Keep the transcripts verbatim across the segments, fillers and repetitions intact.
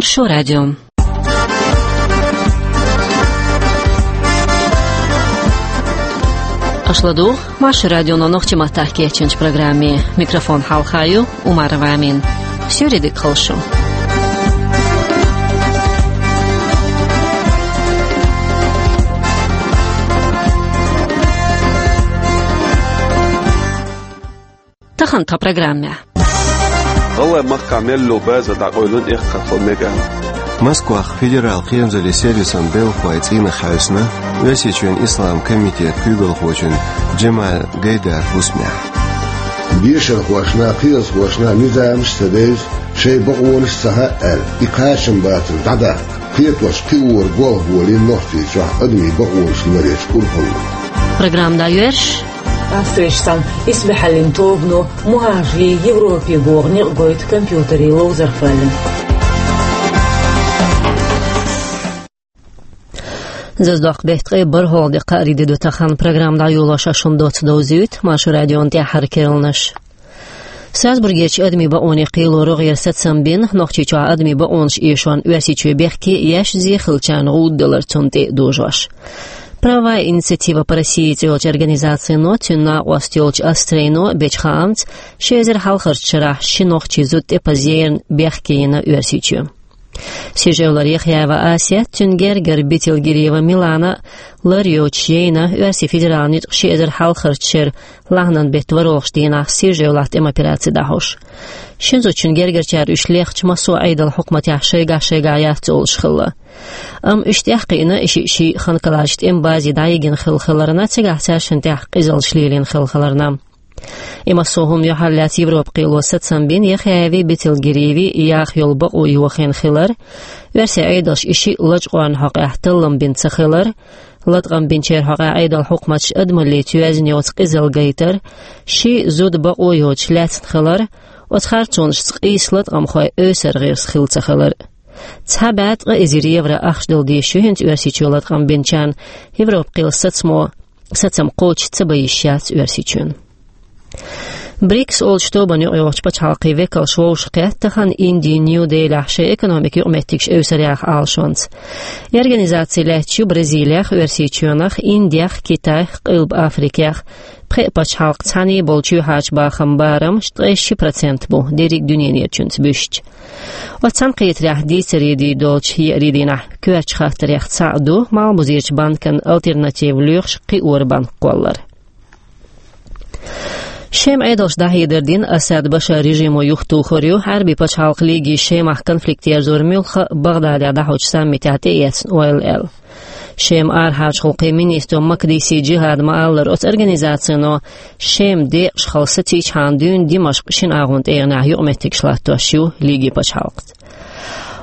Маршо радио. Аша ладугӀу Маршо радионо нохчийн маттахь кечйинчу программе. Микрофон хьалха ю Умарова Амина. Суьйре дика хуьлда шу. Тахана тхан программехь. ГӀалгӀайн махкахь мел йолу базар дӀакъевлина эккхархо мегар. Москвахь федералан кхерамзаллин сервисан белхалой цӀийнах хьаьвсина Оьрсийчоьнан Исламан комитетан куьйгалхочун Джамаль Гайдар хӀусамехь. Дешархошна, кхиазхошна низамаш а ца девза, шайн бакъонаш а ца хаьа аьлла, и кхачам бацар дӀадаккха, кхетош кхиоран гӀуллакх волийна Нохчийчохь адамийн бакъонаш ларъечу урхалло. Программа дӀайоьрзуш. Австрехь санна, исбаьхьаллин тобано мухӀажарийн Европе гӀур некъ гойту компьютерийн ловзархой. Зазадоккху беттан ткъе бархӀалгӀа де, кхаарин де ду тахана. Программа дӀайолош шуна доцца довзуьйту Маршо радион тӀаьххьара керланаш. Страсбургерчу адамийн бакъонийн кхело рогӀера сацам бина, Нохчийчохь адамийн бакъонаш эшорна Оьрсийчоь бехке еш, зе хиллачарна гӀуда далар цунна тӀе а дожош. «Правовая инициатива по России» цӀе йолчу организацино, цуьнан накъост йолчу Астрейно бечу хаамца, ши эзар хьалхарчу шарахь ши нохчийн зуда тӀепаза ерна бехке йина Оьрсийчоь. Сижевлар Яхъяева Асет, цуьнан гергара Бетелгирева Милана лар йоцуш яйна Оьрсийн федералан ницкъ ши эзар хьалхарчу шеран лахьанан беттан ворхӀалгӀачу дийнахь Сижевлахь тӀеман операци дӀахьош. Шина зудчун гергарчара уьш лехча, массо а Ӏедалан хьукматехь шайгахь-шайгахь яц олуш хилла. Амма уьш тӀекхиъна, и шиъ ший Ханкаларчу тӀеман базе дӀайигина хилла хиларна, цигахь цаьршинна тӀехь къизаллаш лелийна хилла хиларна. И массо а хӀума юьхьарлаьцна Европа кхело сацам бина Яхъяевин, Бетелгиреевин яха йолу бакъо йохийна хилар, оьрсийн Ӏедалша и шиъ лачкъорна хьокъехь таллам бина ца хилар, латкъам бинчеран хьокъехь Ӏедалан хьукматаша адамаллица йоьзна йоцу къизалла гайтар, ши зуда бакъо йоцуш лаьцна хилар, оцу харцонашца къийса латкъамхой эсар гӀирс хилла ца хилар. Цхьа бӀе ткъа эзар евро ахча дала дезаш ю хӀинца Оьрсийчоь латкъам бинчарна Европа кхелан сацамо сацам кхочуш ца бан йиш яц Оьрсийчоьнан. БРИКС олучу тобанна юкъайогӀучу пачхьалкхийн векалш вовшахкхетта тахана Индин Нью-Делихь шайн экономикан юкъаметтигаш эвсаръяха Ӏалашонца. И организаци лаьтташ ю Бразилех, Оьрсийчоьнах, Индех, Китайх, Къилба Африкех. Пхеа пачхьалкх цхьаьна болчу юьхьӀаьржачу бахаман барамаш ткъе ши процент бу, дерриг а дуьненан чуьнца буьстича. Оцу цхьаьнакхетарехь дийцаре дийр долчу еарин дийнахь коьртачу хаттарех цхьаъ ду Малхбузерчу банкан «Альтернатива» лоьхуш кхиоран банк кхоллар. Шеман Ӏедалша дӀахьедар дина, Асад Башар режимо юхатухур ю Ӏаьрбийн пачхьалкх лигий Шемахь конфликт ерзоран муьлхха а Багъдадехь дӀахьочу саммитехь тӀеэцна ойла аьлла. Шеман арахьарчу гӀуллакхийн министро Макдиси Джихада ма-аллара, оцу организацино Шема декъашхала сацийчхьана дуьйна Димашкъ шина агӀонан тӀегӀанехь юкъаметтигаш латтош ю лигий пачхьалкхца.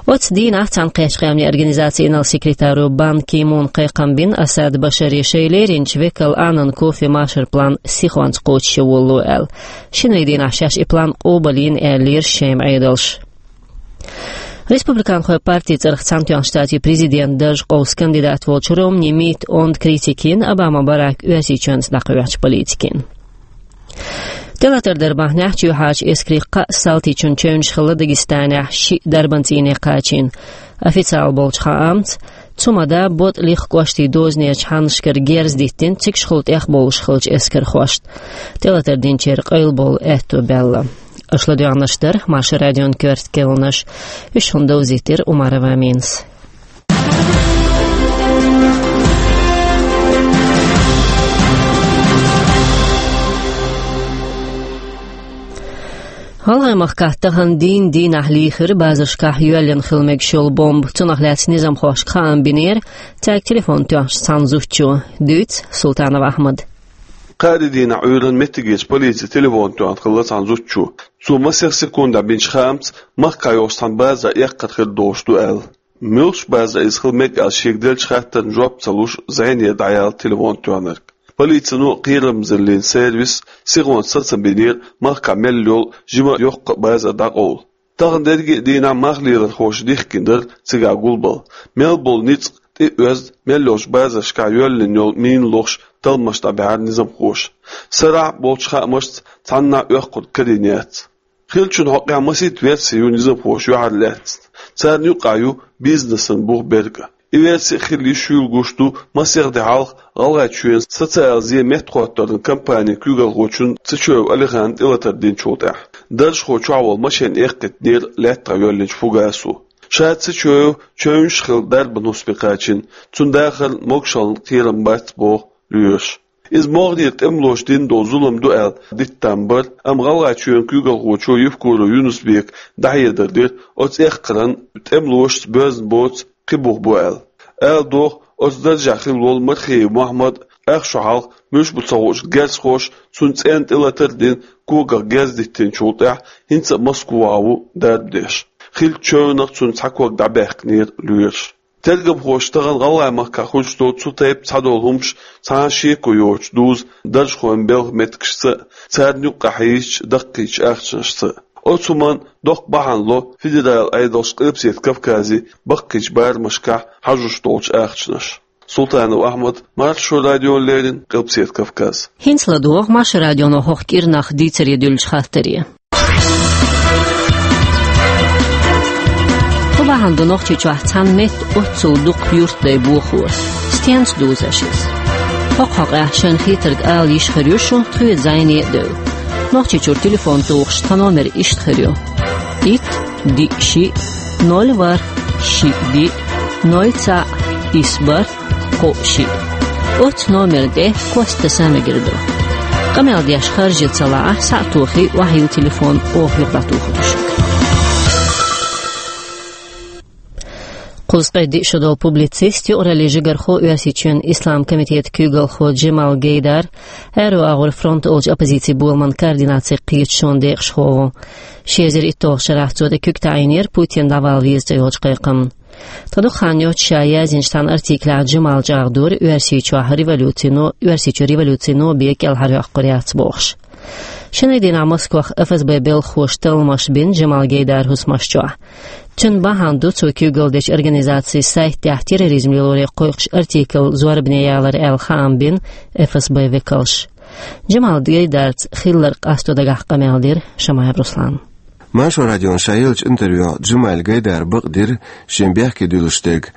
Оцу дийнахь Цхьаьнакхеттачу Къаьмнийн Организацин инарла секретаро Бан Ки Муна кхайкхам бина Асад Башаре шайн леринчу векал Аннан Кофи Маршалла план сихонца кхочушъян волало аьлла. Шинарин дийнахь шаьш и план къобалйина аьллера Шеман Ӏедалша. Республиканхойн партин цӀарах Цхьаьнатоьхначу Штатийн президентан дарж къовса кандидат волчу Ромни Митта онда критика йина Обама Барака Оьрсийчоьнца дӀакхоьхьучу политикина. ТӀелатар дар бахьанехь чоьхьарчу эскарийн кхаа салтичун чевнаш хилла Дагестанехь шиъ дарбан цӀийне кхачийна. Официалан болчу хаамца, цу ма-дарра БотӀ-Лихха кӀоштийн дозанерчу хьаннашкара герз диттина цигахула тӀехбовлуш хиллачу эскархошна. ТӀелатар динчеран къайлабовла аьтто баьлла. Аша ладоьгӀнарш дара Маршо радион коьрта керланаш. Уьш шуна довзийтира Умарова Аминас. ГӀалгӀайн махкахь тахана дийнан дийнахь лийхира базаршкахь йоьллина хила мегаш йолу бомба. Цунах лаьцна низамхошка хаам бинера цаьрга телефон тоьхначу цхьана зудчо. Дуьйцу Султанов Ахьмада. Кхаарин дийнахь Ӏуьйранна меттигерчу полицин телефон тоьхна хилла цхьана зудчо. Цо масех секундехь бинчу хаамца махкахь йолчу цхьана базара эккхар хир долуш ду аьлла. Муьлхачу базара иза хила мега аьлла шега деллачу хаттарна жоп ца луш, зӀенера дӀаяьлла телефон тоьхнарг. Полицино а, кхерамзаллин сервисо а сихонца сацам бинера махкахь мел йолу жима а, йоккха а базар дӀакъовла. Тахана дерриге а дийнахь мах лелорхоша дихкина дара цигахь гулбала. Мел болу ницкъ тӀе а оьзна, мел йолчу базаршкахь йоьллина йолу мина лохуш талламаш дӀабаьхьира низамхоша. Сарахь а болчу хаамашца, цхьаннахьа оьккхург карийна яц. Хиллачун хьокъехь масийтта верси ю низамхоша юьхьарлаьцна. Царна юкъахь ю бизнесан бух берг а. И верси а хилла йиш юьйлуш ду масех де хьалха ГӀалгӀайчоьнан социалан зен меттахӀотторан компанин куьйгалхочун Цечоев Алихана тӀелатар динчул тӀаьхьа. Даржахо чохь волу машен эккхийтинера лаьттах йоьллинчу фугасо. Ша Цечоев чевнаш хилла дарбан хӀусаме кхачийна, цуьнан дахарна могушаллин кхерам бац боху лоьраша. Иза могӀарера тӀемалоша дина долу зулам ду аьлла диттам бара, амма ГӀалгӀайчоьнан куьйгалхочо Евкуров Юнус-Бека дӀахьедар дира, оцу эккхаран тӀемалошца боьзна боцу кхин бух бу аьлла. Ала догӀу, оцу даржехь хилла волу Мархиев Мохьмад а, ах шо хьалха муьлш бу ца хуучу герзахоша цунна цӀенна тӀелатар а дина, когах герз диттинчул тӀаьхьа хӀинца а Москва ву дарба деш. Хиллачу чевнах цуьнан цхьа ког дӀабаьккхинера лоьраша. Тергамхоша тахана ГӀалгӀайн махкахь хуьлуш долу цу тайпа цхьадолу хӀумаш цхьана а шеко йоцуш дузу даржахойн белхан меттигашца а, царна юккъехь хьийзачу даккхийчу ахчанашца а. Оцу хӀуманна доккха бахьана ло федералан Ӏедалша Къилбаседа Кавказе баккхийчу барамашкахь хьажош долчу ахчанаша. Султанов Ахьмад, Маршо радиона леррина, Къилбаседа Кавказ. ХӀинца ладогӀа Маршо радионо хӀокху кӀирнах дийцаре дуьллучу хаттаре. Кху бахьана ду Нохчийчохь цхьана метта оццул дукха юьртдай бохо. Стенца дузу аша иза? ХӀокху хьокъехь шайна хетарг ала йиш хир ю шун тхоьца зӀене а девлла. Нохчийчуьра телефон тухуш тхан номер иштта хир ю: итт, диъ, шиъ, ноль, ворхӀ, шиъ, диъ, ноль, цхьаъ, исс, бархӀ, кхоъ, шиъ. Оццу номерна тӀе кост таса мегар ду. Къамел деш харжа ца лаахь, схьа а тохий, охьайилла телефон, оха юха дӀатухур ду шуьга. Кхузткъе диъ шо долу публицист, юкъараллин жигархо, Оьрсийчоьнан Исламан комитетан куьйгалхо Джамал Гайдар, аьрру агӀор фронт олучу оппозицин боламан координацин кхеташонан декъашхо ву. Ши эзар итталгӀачу шарахь цо тӀе куьг таӀийнера Путин дӀавала веза цӀе йолчу кхайкхамна. Тхан дукха хан йоццуш ша яздинчу цхьана артиклехь Джамал чӀагӀдора Оьрсийчохь революцино, Оьрсийчу революцино бен кӀелхьархьокхур яц бохуш. Шинарин дийнахь Москвахь ФСБ белхахоша талламаш бина Джамал Гайдаран хӀусамаш чохь. Цуьнан бахьана ду цо куьйгалла дечу организацин сайт тӀехь терроризм лелоре кхойкхуш артикл зорбане ялар аьлла хаам бина ФСБ векалша. Джамал Гайдарца хилларг къасто дагахь къамел дира Шамаев Руслана. Маршо радион ша еллачу интервьюхь Джамал Гайдара бакъдира шен бехке дуьллуш дерг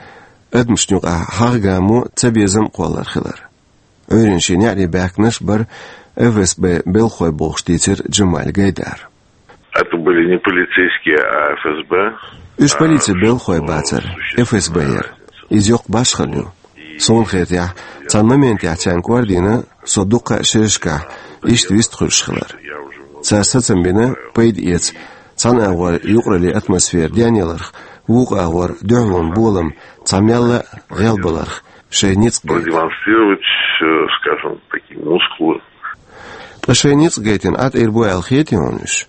адамашна юкъахь хьагӀ-гамо, цабезам а кхоллар хилар. Ӏуьйранна шен неӀарий баьхкинарш а бара ФСБ белхахой бохуш дийцира Джамал Гайдара. Это были не полицейские, а ФСБ. Уьш полицин белхахой бацара, ФСБ яра. Иза йоккха башхалла ю. Суна хетарехь, цхьана моментехь царна кӀордийна со дуккха а шерашкахь иштта вистхуьлуш хилар. Цара сацам бина пайда эца цхьана агӀор юкъараллин атмосфера денъяларх, вукху агӀор дуьхьалонан болам цхьа мелла а гӀелбаларх шайн ницкъ гайта. Продемонстрировать, э, скажем, такие мускулы. Ткъа шайн ницкъ гайтина Ӏа тӀера бу аьлла хетий хьуна уьш?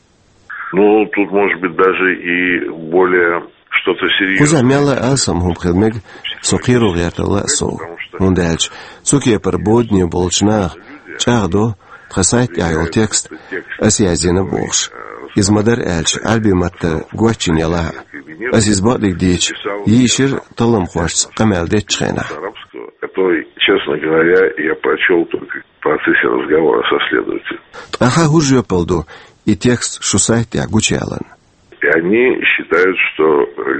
Ну, тут может быть даже и более что-то серьёзное. Кхузахь мелла а алсам хӀума хила мега со кхеро гӀертарал а сов. ХӀунда аьлча цу кепара бодане болчу наха чӀагӀдо тхан сайт тӀехь йолу текст ас яздина бохуш. Иза, ма-дарра аьлча, Ӏаьрбийн маттара гочйина ялахь а, ас иза бакъдерг дийцича, йийшира талламхошца къамел дечу хенахь. Который, честно говоря, я прочёл только в процессе разговора со следователем. Ткъа хьан хӀун жоьпалла ду и текст шун сайт тӀехь гучуяларна? И они считают, что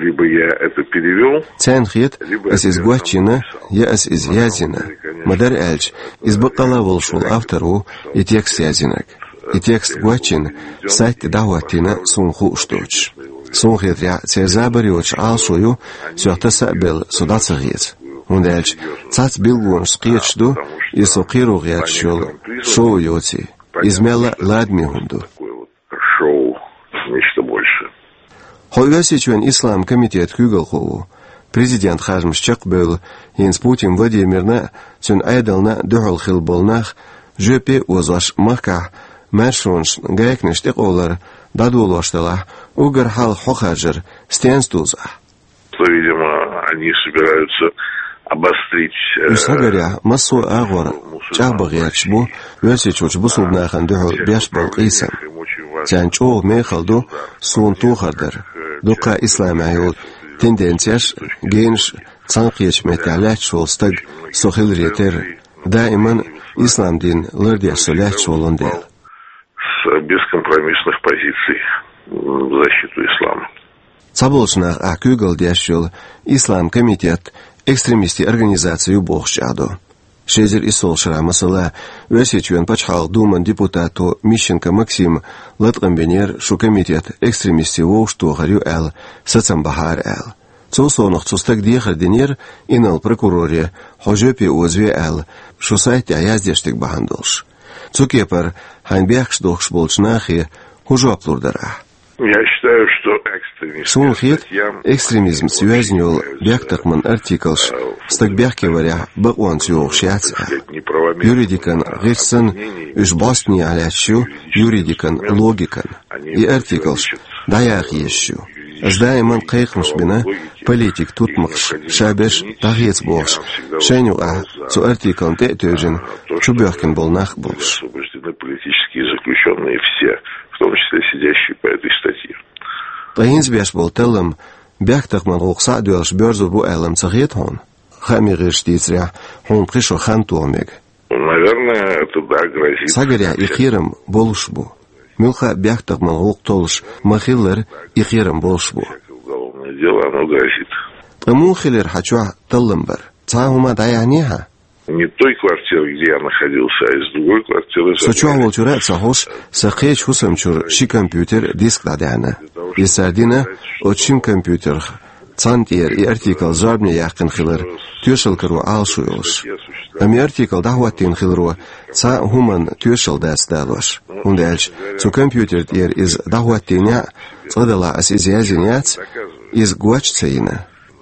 либо я это перевёл. Царна хета, ас иза гочйина, я ас иза яздина. Ма-дарра аьлча, иза баккъалла а волуш волу автор ву и текст яздинарг. И текст гочйина, сайт тӀе дӀахӀоттийна суна хууш доцуш. Суна хетарехь, церан забар йоцуш Ӏалашо ю, соьх таса а белла, со дӀа ца хеца. ХӀунда аьлча цхьацца билгалонашца кхеташ ду, иза со кхеро гӀерташ йолу шоу йоций. Иза мелла а ладаме хӀума ду. Шоу, нечто большее. Хьо Оьрсийчоьнан Исламан комитетан куьйгалхо ву. Президентан харжамаш чекхбевлла, хӀинца Путин Владимирна а, цуьнан Ӏедална а дуьхьал хилла болу нах жоьпе а озош махкахь маьршонашна гайканаш тӀекъовлар дӀадолош делахь, уггар хьалха хьо харжар стенца дузу ахь? Что, видимо, они собираются обострить, э, Уьш хьагарехь, массо а агӀор чӀагӀбан гӀерташ бу Оьрсийчуьрчу бусулба нахана дуьхьал беш болу къийсам. Царна чӀогӀа мехала ду суна тохар дар, дуккха а исламехь йолу тенденцеш, генаш, цхьаьнакхетачу меттехь лаьтташ волу стаг со хиларе терра, даиман ислам дин лардеш со лаьтташ волун дела. С бескомпромиссных позиций. в защиту ислама. Цхьаболчу наха ахь куьйгалла деш йолу Ислам комитет экстремистийн организаци ю бохуш чӀагӀдо. Ши эзар иссалгӀачу шарахь, масала, Оьрсийчоьнан пачхьалкхан думан депутато Мищенко Максима латкъам бинера, шу комитет экстремистийн вовшахтохар ю аьлла, сацам бахьара аьлла. Цул совнаха цу стага дехар динера инарла прокуроре, хьо жоьпе озаве аьлла, шу сайта тӀехь яздеш дерг бахьана долуш. Цу кепара хьайна бехкаш дохкуш болчу нахе хӀун жоп лур дара ахь? Я считаю, что экстремистским... Суна хета, экстремизмца йоьзна йолу бехктакхаман артиклаш стаг бехке варехь бакъонца йогӀуш яц аьлла. Юридикан гӀирс санна, уьш бӀостанехьа лаьтташ ю юридикан логикан. И артиклаш дӀаяха езаш ю. Ас даиман кхайкхамаш бина политикан тутмакхаш, шаберш дӀахеца бохуш, шайна юкъахь цу артиклна тӀе а тевжина, чубоьхкина болу нах а болуш. Освобождены политические заключённые все, в том числе сидящие по этой статье. Ткъа хӀинца беш болу таллам бехктакхаман гӀуллакх схьа а доьллуш боьрзур бу аьлла ца хета хьуна? Хаамийн гӀирсаша дийцарехь, хьуна пхи шо хан тоха мега. Наверное, это, да, грозит. Схьагарехь, и кхерам болуш бу. Муьлхха а бехктакхаман гӀуллакх толлуш ма-хиллара, и кхерам болуш бу. Уголовное дело, оно грозит. Ткъа муха хилира хьан чохь таллам бар? Цхьа а хӀума дӀаяьхьнехьа? Не той квартиры, где я находился, а из другой квартиры. Со чохь волчуьра а ца хьош, сан кхечу хӀусам чуьра ши компьютер, диск дӀадаьхьна. Иза цара дина, оцу шина компьютерх цхьанна тӀера и артикл зорбане яьккхина хилар тоьшалла каро Ӏалашо йолуш. Амма и артикл дӀахӀоттийна хиларо цхьа а хӀуманна тоьшалла дац далош. ХӀунда аьлча цу компьютер тӀера иза дӀахӀоттийнехь а, цкъа-делахь ас иза яздина яц, иза гоча ца йина.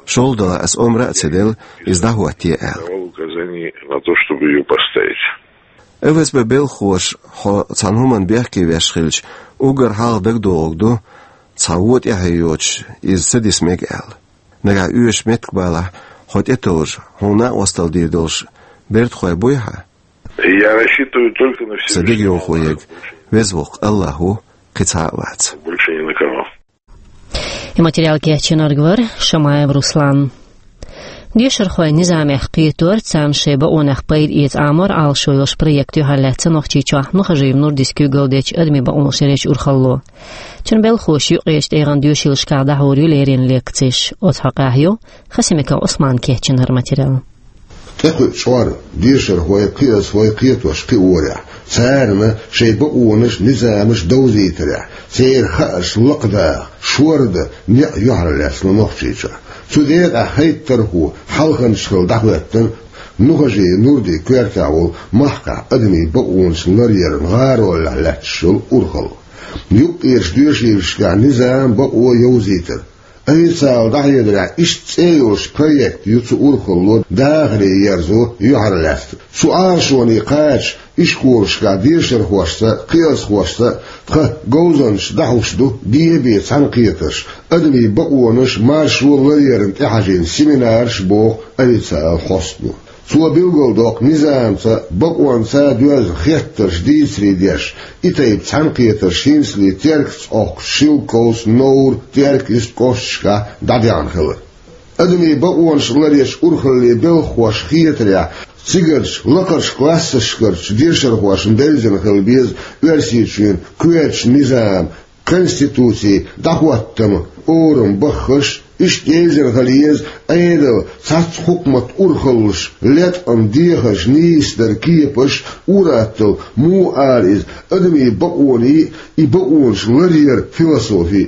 ШолгӀа делахь ас омра а ца делла, иза дӀахӀотте аьлла. Давал указание на то, чтобы её поставить. ФСБ белхахоша хьо цхьана хӀуманна бехке веш хилча, уггар хьалха дагадогӀург ду, цхьа вон тӀаьхье йоцуш иза ца диса мега аьлла. Нагахь оьшуш меттиг балахь, хьо тӀетовжа, хьуна накъосталла дийр долуш бертахой буй хьан? Я рассчитываю только на Всевышнего Аллаха. Сан дегайовхо ерг Веза-Воккха Аллах ву, кхин цхьа а вац. Больше ни на кого. И материал кечйинарг вара Шамаев Руслан. Дешархойн низамех кхетор, царна шайн бакъонех пайда эца Ӏамор Ӏалашо йолуш проект юьхьарлаьцна Нохчийчохь Нухажиев Нурдис куьйгалла дечу адамийн бакъонаш ларъечу урхалло. Цуьнан белхахоша юккъерчу тӀегӀан доьшийлашкахь дӀахьур ю леррина лекцеш. Оцу хьокъехь ю Хасимиков Ӏусмана кечйина хӀара материал. ТӀекхуьу чкъор дешархой, кхиазхой кхетош кхиорехь, царна шайн бакъонаш, низамаш довзийтарехь, церан хаарш лакхадаха, шордан некъ юьхьарлаьцна Нохчийчохь. Цу декъехь хӀайттархо хьалханча хилла дӀахӀоьттина Нухажиев Нурдин коьртехь волу махкахь адамийн бакъонаш ларъяран гӀаролехь лаьтташ йолу урхалла. Юккъерчу доьшийлашкахь низам, бакъо йовзийтар. Официалан дӀахьедарехь, иштта цӀе йолуш проект ю цу урхалло дахаре ерзо юьхьарлаьцна. Цу Ӏалашоне кхача ишколашкахь дешархошца, кхиазхошца тхан говзанчаша дӀахьуш ду бен-бен цхьаьнакхетарш, адамийн бакъонаш, маршо ларъярна тӀехьажийна семинарш, боху официалан хьостано. Цо билгалдоккху низамца, бакъонца доьзна хеттарш дийцаре деш, и тайпа цхьаьнакхетарш хӀинцале Теркаца Ӏохкучу Шелковица, Новра, Теркаиста кӀошташкахь дӀадаьхьна хилар. Адамийн бакъонаш ларъечу урхалле белхахоша хетарехь, цигарчу лакхарчу классашкарчу дешархошна девзина хила беза Оьрсийчоьнан коьртачу низам, конституцин дӀахӀоттаман орам баххарш, иштта девзина хила еза Ӏедалан цхьацца хьукматан урхаллаша латкъам, дехарш, нийсадар, кепаш, ур-атталла, муха ала иза, адамийн бакъонийн, и бакъонаш ларъяран философи.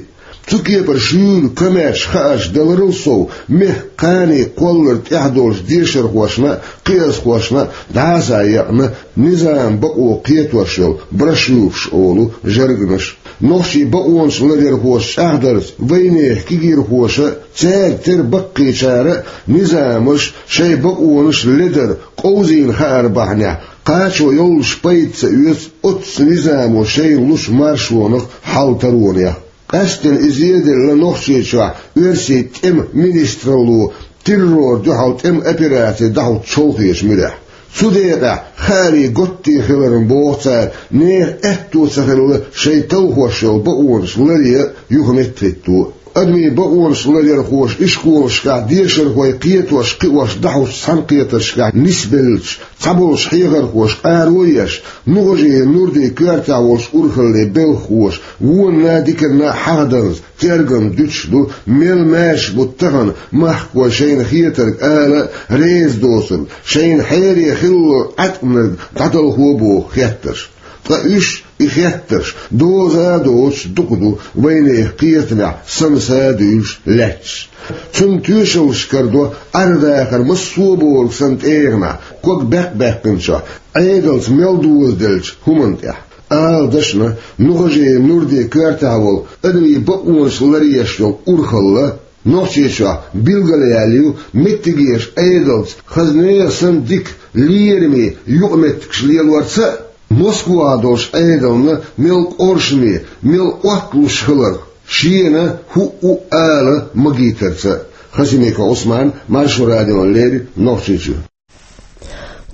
Цу кепара шуьйра комаьрша хаарш даларал сов, мехкан кхане кхоллар тӀехь долчу дешархошна а, кхиазхошна а дӀасаекъна «Низам, бакъо кхетош йолу брошюраш» олу жаргонаш. Нохчийн бакъонаш ларъярхоша чӀагӀдарца, вайнехан кегийрхоша а, цаьрга тера баккхийчара а низамаш шайн бакъонаш ледар къовзийна хаар бахьанехь, кхачо йоллуш пайда ца оьцу оццу низамо шайна лучу маршонах, хьал-таронех. Къаьсттина иза зеделла Нохчийчохь оьрсийн тӀеман министралло террорна дуьхьал тӀеман операци дӀахӀуттучу чолхечу муьрехь. Цу декъехь хаарийн готтий хиларна, боху цара, нехан аьтто ца хилла шайн талхош йолу бакъонаш ларъян а, юхаметтахӀитто а. Адамийн бакъонаш ларъярхоша ишколашкахь дешархой кхетош, кхиош дӀахьочу цхьаьнакхетаршкахь нисбеллачу цхьаболчу хьехархоша къаро а еш, МухӀажеран Нурдин коьртехь волчу урхаллин белхахоша вонна а, диканна а хьахаданза, тергам дуьтуш ду, мел маьрша бу тахана махкахой шайна хетарг ала а, реза доцург, шайна хьере хилларг Ӏаткъамнарг дӀадалхо а боху хеттарш. Ткъа уьш, и хеттарш, доза а доцуш дукха ду вайнехан кхетамехь санна са а дуьйлуш лаьтташ. Цунна тоьшаллаш карадо Ӏар-дахар массо а бохург санна тӀегӀанехь, ког баьккхина баьккхинчохь, Ӏедалца мел дозаделлачу хӀуманна тӀехь. Ала дашна, МухӀажеран Нурдин коьртехь волу адамийн бакъонаш ларъеш йолу урхалла Нохчийчохь билгалъяьлла ю меттигерчу Ӏедалца хазне а санна дика, лераме юкъаметтигаш лелорца а, Москвахь долчу Ӏедална мел къоршаме, мел отталуш хиларх, шена хӀуъу ала магийтарца а. Хасимиков Ӏусман, Маршо радиона леррина, Нохчийчуьра.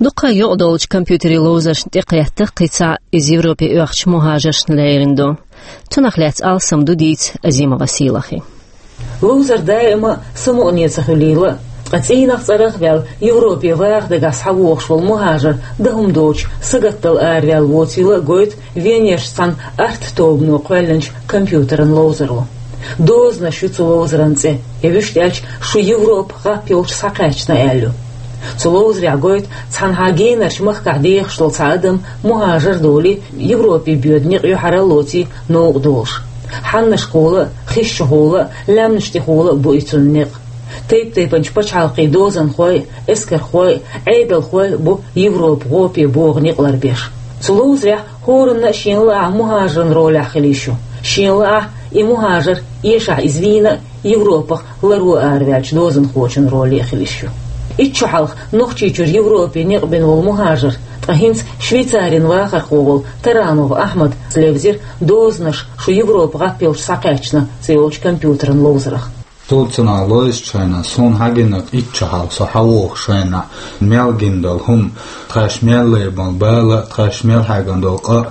Дуккха а юкъадолчу компьютерийн ловзаршна тӀекхетта кхин цхьа иза Европе оьхучу мухӀажаршна лерина ду. Цунах лаьцна алсам ду дийца Азимова Сийлахьан. Ловзар даима а самукъане ца хуьлийла, ткъа цӀийнах цӀарах а ваьлла, Европе ваха дагахь схьавогӀуш волу мухӀажар дан хӀума доцуш сагатдала араваьлла воцийла а гойту Венерчу цхьана арт-тобано кхоьллинчу компьютеран ловзаро. «Дозанаш» ю цу ловзаран цӀе, я вуьшта аьлча, «Шу Европа гӀап йолчу схьакхаьчна» аьлла ю. Цу ловзарехь гойту цхьанхьа генарчу махкахь дехаш долу цхьа адам мухӀажар а долий, Европе боьду некъ юьхьар а лоций новкъа долуш. Хьаннашкахула а, хисчухула а, лаьмнаш тӀехула а бу и цуьнан некъ. Тайп-тайпанчу пачхьалкхийн дозанхой а, эскархой а, Ӏедалхой а бу Европа гӀопе богӀу некъ ларбеш. Цу ловзарехь хӀоранна а шена лаахь мухӀажаран ролехь хила йиш ю. Шена лаахь и мухӀажар, эшахь иза вийна а, Европах ларо араваьллачу дозанхочун роле а хила йиш ю. Итт шо хьалха Нохчийчуьра Европе некъ бина волу мухӀажар, ткъа хӀинца Швейцарин вахархо волу Таранов Ахьмад левзира «Дозанаш, шу Европа гӀап йолчу схьакхаьчна» цӀе йолчу компьютеран ловзарах. Цул цунах лойзучу шайнахь, суна хьагинарг итт шо хьалха со хьавогӀучу шайнахь, мел гина долу хӀума, тхаьш мел лайбан бала, тхаьш мел хьаьгна долу къа,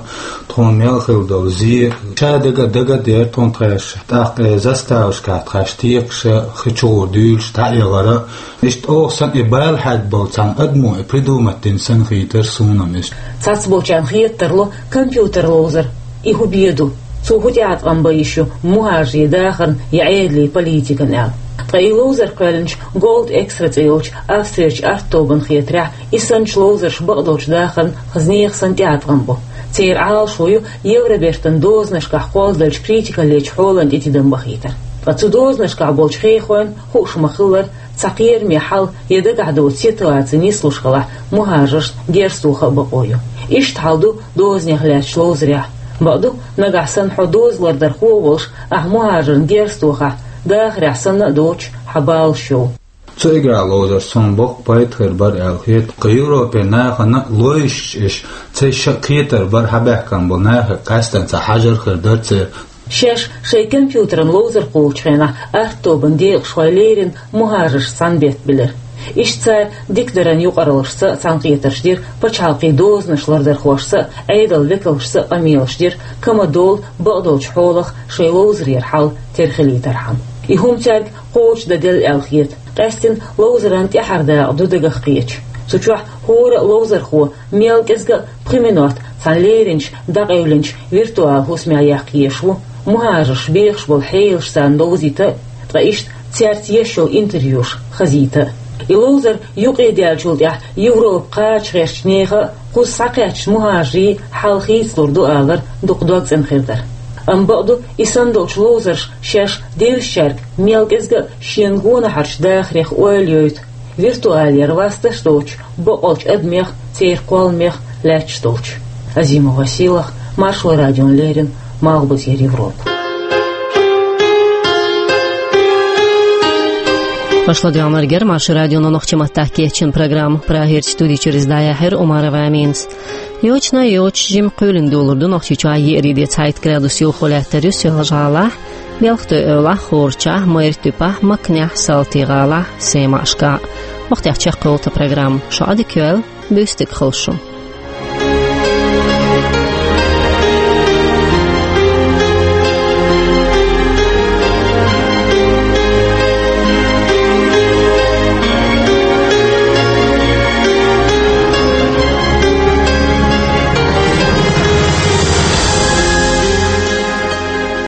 тхуна мел хилла долу зе, ша дага а дага а дера тхуна тхаьш, тӀаккха и заставашкахь тхаьш текхаш а, хи чугӀо дуьйлуш дӀаэгӀар а. Иштта оха санна и бала хьаьгна болу цхьана адамо и придумать дина санна хийтира суна-м иза. Цхьацболчарна хета тарло компьютер ловзар, и хӀун бен ду, цо хӀун тӀеӀаткъам бан йиш ю мухӀажарийн дахарна я Ӏедалийн политикана аьлла. Ткъа и ловзар кхоьллинчу Gold Extra цӀе йолчу Австрерчу арт-тобанна хетарехь, и санначу ловзарша бакъдолчу дахарна хаза нехан санна тӀеӀаткъам бу. Церан Ӏалашо ю Евробертан дозанашкахь кхолладеллачу критикаллечу хьолана тӀе тидам бахийтар. Ткъа цу дозанашкахь болчу хьехойн, хууш ма-хиллара, цхьа кхераме хьал я дагахь доцу ситуаци нислуш хилахь, мухӀажаршна герз тоха а бакъо ю. Иштта хьал ду дозанех лаьттачу ловзарехь. Бакъду, нагахь санна хьо доза лардархо а волуш, ахь мухӀажарна герз тохахь, дахарехь санна а доцуш, хьан баланаш йовла. Цу игра ловзарца суна боккха пайда хир бара аьлла хета. Кху Европе нахана а лойзуш, иш цайша а кхетар бара, хьабаьхкина болу нахе къаьстина цхьа хьажар хир дара церан. Шаьш шайн компьютеран ловзар кхуллучу хенахь арт-тобанан декъашхой леррина мухӀажаршца цхьаьна беттан билира. Иштта цара дикадаран юкъараллашца а цхьаьнакхетарш дира, пачхьалкхийн дозанаш лардархошца а, Ӏедалан векалшца а къамелаш дира, кама долу бакъдолчу хьолах шайн ловзарера хьал тера хилийтархьама. И хӀума цаьрга кхочушдан делла аьлла хета. Къаьстина ловзаран тӀаьхьара дакъа ду дагах кхеташ. Цу чохь хӀора а ловзархо мел кӀезга а пхи минот цхьана леринчу, дӀакъевлинчу виртуал хӀусамехь яккха езаш ву, мухӀажарш бехаш болу хьелаш царна ловзийта а, ткъа иштта цаьрца еш йолу интервьюш хазийта а. И ловзар юкъадаьллачул тӀаьхьа Европа кхача гӀертачу нехан а, кхуза схьакхаьчначу мухӀажарийн хьал хийцалур ду алар дукха дог цӀена хир дара. Амма бакъду, и санна долчу ловзарша шаьш девзачаьрга мел кӀезга а шена гонахьарчу дахарех ойла йойту, виртуалера васташ доцучу бакъолчу адамех, церан кхолламех лаьтташ долчу. Азимова Сийлахь, Маршо радиона леррина, Малхбузера Европа. Аша ладоьгӀнарг яра Маршо радион нохчийн маттахь кечйина программа. Прагерчу студи чуьра иза дӀаяьхьира Умарова Аминас. Йочана а йоцуш, жимма кхоьлина долур ду Нохчийчохь еарин де, цхьайтта градус йовхо лаьттар ю Соьлжа-ГӀалахь, Белхатуй-Эвлахь, Хорачахь, Майртуьппехь, Макнехь, Салтий-ГӀалахь, Сема-Ӏашкахь. ХӀокху тӀехь чекхйолу тхан программа. Шун Ӏадика йойла, буьйса дика хуьлда шун.